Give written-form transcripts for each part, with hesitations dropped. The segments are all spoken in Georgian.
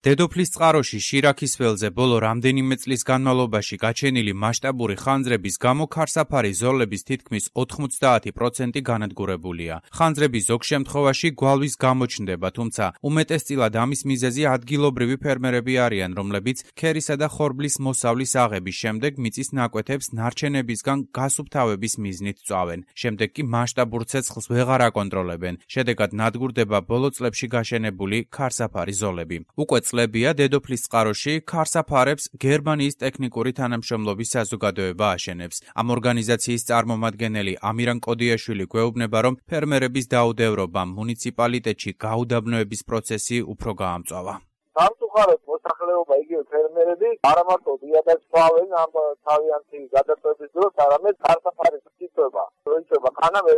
დედოფლის წყაროში შირაქის ველზე ბოლო რამდენიმე წლის განმავლობაში გაჩენილი მასშტაბური ხანძრების გამო ქარსაფარი ზოლების თითქმის 90% განადგურებულია. ხანძრები ზოგ შემთხვევაში გვალვის გამოჩნდება, თუმცა უმეტესწილად ამის მიზეზი ადგილობრივი ფერმერები არიან, რომლებიც ქერისა და ხორბლის მოსავლის აღების შემდეგ მიწის ნაკვეთებს ნარჩენებისგან გასუფთავების მიზნით წვავენ. შემდეგ კი მასშტაბურ ცეცხლს ვეღარ აკონტროლებენ. შედეგად ნადგურდება ბოლო წლებში გაშენებული ქარსაფარი ზოლები. უკვე წლებია დედოფლის წყაროში ქარსაფარებს გერმანიის ტექნიკური თანამშრომლობის საზოგადოება აშენებს. ამ ორგანიზაციის წარმომადგენელი ამირან კოდიაშვილი გვეუბნება, რომ ფერმერების დაუდევრობამ მუნიციპალიტეტში გაუდაბნოების პროცესი უფრო გაამწვავა. სამწუხაროდ მოსახლეობა იგივე ფერმერები არა მარტო დიადას წავენ ამ თავიანთი გადაწყვეტის დროს, არამედ ქარსაფარის მწვევა. როიწება ხანა მე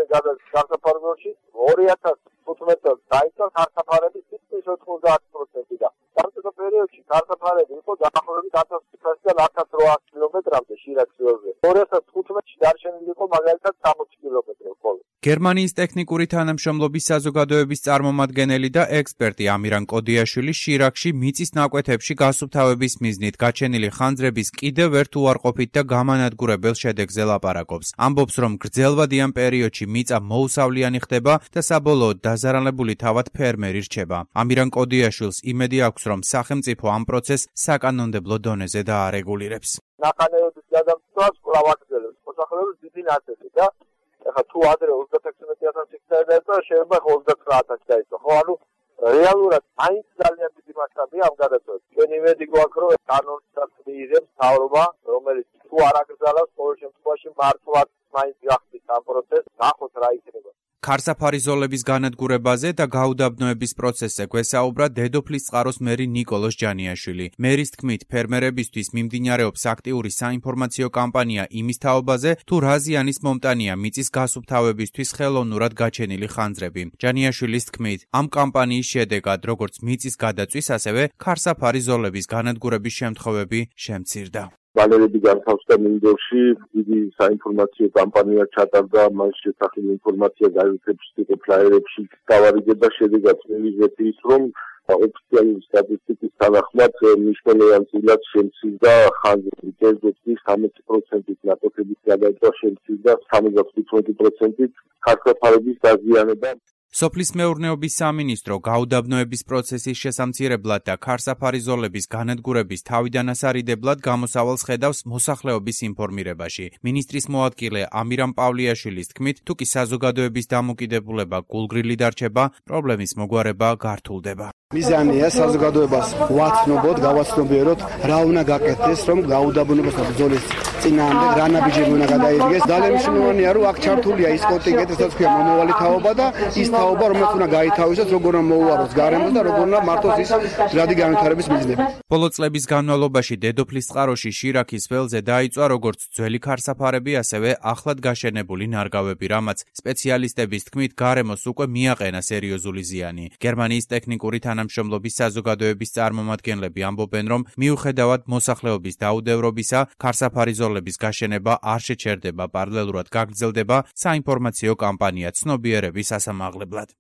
ქარსაფარებში 2015 წელს დაიწყო ქარსაფარების თითქმის 90% და სამწუხაროდ პერიოდში ქარსაფარები იყო დაახლოებით 1500-დან 1800 კილომეტრამდე შირაქის ველზე. 2015-ში დარჩენილი იყო მაგალითად 60 კილომეტრი ხოლმე. გერმანიის ტექნიკური თანამშრომლობის საზოგადოების წარმომადგენელი და ექსპერტი ამირან კოდიაშვილი შირაქში მიწის ნაკვეთებში გასუფთავების მიზნით გაჩენილი ხანძრების კიდევ ერთ უარყოფით და გამანადგურებელ შედეგზე ლაპარაკობს. ამბობს, რომ გრძელვადიან პერიოდში მიწა მოუსავლიანი ხდება და საბოლოოდ დაზარალებული თავად ფერმერი რჩება. ამირან კოდიაშვილს იმედი აქვს, რომ სახელმწიფო ამ პროცესს საკანონმდებლო დონეზე დაარეგულირებს. ნახანეობის გადამწყვეტს კვლავ აგრძელებს მოსახლეობის დიდი ნაწილი და ეხლა თუ ადრე 36,000 ჰექტარი დაიწყო, შეიძლება 39,000 დაიწყო. ხო, ანუ რეალურად მაინც ძალიან დიდი მასშტაბია ამ გადაწყვეტას. ჩვენ იმედი გვაქვს, რომ კანონსაც მიიღებს მთავრობა, რომელიც თუ არ აკრძალავს, ყოველ შემთხვევაში მართლაც მაინც გახდის ამ პროცესს, ნახოთ რა იქნება. ქარსაფარი ზოლების განადგურებაზე და გაუდაბნოების პროცესზე გვესაუბრა დედოფლის წყაროს მერი ნიკოლოზ ჯანიაშვილი. მერის თქმით, ფერმერებისთვის მიმდინარეობს აქტიური საინფორმაციო კამპანია იმის თაობაზე, თუ რა ზიანის მომტანია მიწის გასუფთავებისთვის ხელოვნურად გაჩენილი ხანძრები. ჯანიაშვილის თქმით, ამ კამპანიის შედეგად, როგორც მიწის გადაწვის, ასევე ქარსაფარი ზოლების განადგურების შემთხვევები შემცირდა. ბანერები განთავსდა მინდორში, დიდი საინფორმაციო კამპანია ჩატარდა, მას შესახებ ინფორმაცია გაzetებში, ფლაიერებში გავარიგება, შედეგად მივიღეთ ის, რომ ოფიციალური სტატისტიკის თანახმად მნიშვნელოვანად შემცირდა ხანძრების კერძოთი 60%-ით ნაკვეთების გადაწვა შემცირდა 75%-ით ქარსაფარების დაზიანება. სოფლის მეურნეობის სამინისტრო გაუდაბნოების პროცესის შესამცირებლად და ქარსაფარი ზოლების განადგურების თავიდან ასარიდებლად გამოსავალს ხედავს მოსახლეობის ინფორმირებაში. მინისტრის მოადგილე ამირან პავლიაშვილის თქმით, თუ კი საზოგადოების დამოკიდებულება გულგრილი დარჩება, პრობლემის მოგვარება გართულდება. მიზანია საზოგადოებას ვაცნობოთ, გავაცნობიეროთ, რა უნდა გაკეთდეს, რომ გაუდაბნოებას და ბრძოლის წინააღმდეგ რა ნაბიჯები უნდა გადაიდგეს. ძალიან მნიშვნელოვანია, რომ აქ ჩართულია ის კონტინგენტი, სადაც ქვია მომავალი თაობა და ის თაობა, რომელიც უნდა გაითავისოს, როგორ უნდა მოუაროს გარემოს და როგორ უნდა მართოს ის ძრადი განვითარების მიზნები. ბოლო წლების განმავლობაში დედოფლის წყაროში შირაქის ველზე დაიწვა როგორც ძველი ქარსაფარები, ასევე ახლად გაშენებული ნარგავები, რამაც სპეციალისტების თქმით გარემოს უკვე მიაყენა სერიოზული ზიანი. გერმანიის ტექნიკური თანამშრომლობის საზოგადოების წარმომადგენლები ამბობენ, რომ მიუხედავად მოსახლეობის დაუდევრობისა, ქარსაფარი ზოლების გაშენება არ შეჩერდება, პარალელურად გაგრძელდება საინფორმაციო კამპანია ცნობიერების ასამაღლებლად.